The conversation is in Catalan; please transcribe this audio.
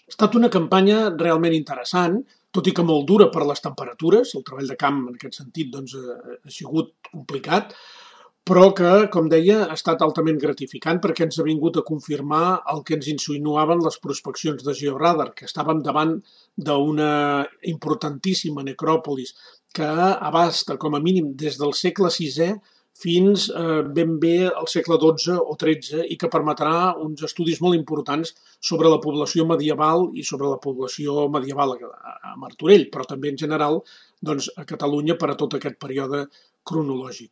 Ha estat una campanya realment interessant, tot i que molt dura per les temperatures. El treball de camp, en aquest sentit, doncs, ha sigut complicat, però que, com deia, ha estat altament gratificant perquè ens ha vingut a confirmar el que ens insinuaven les prospeccions de Georadar, que estàvem davant d'una importantíssima necròpolis que abasta, com a mínim, des del segle VI fins ben bé al segle XII o XIII i que permetrà uns estudis molt importants sobre la població medieval i sobre la població medieval a Martorell, però també en general doncs, a Catalunya per a tot aquest període cronològic.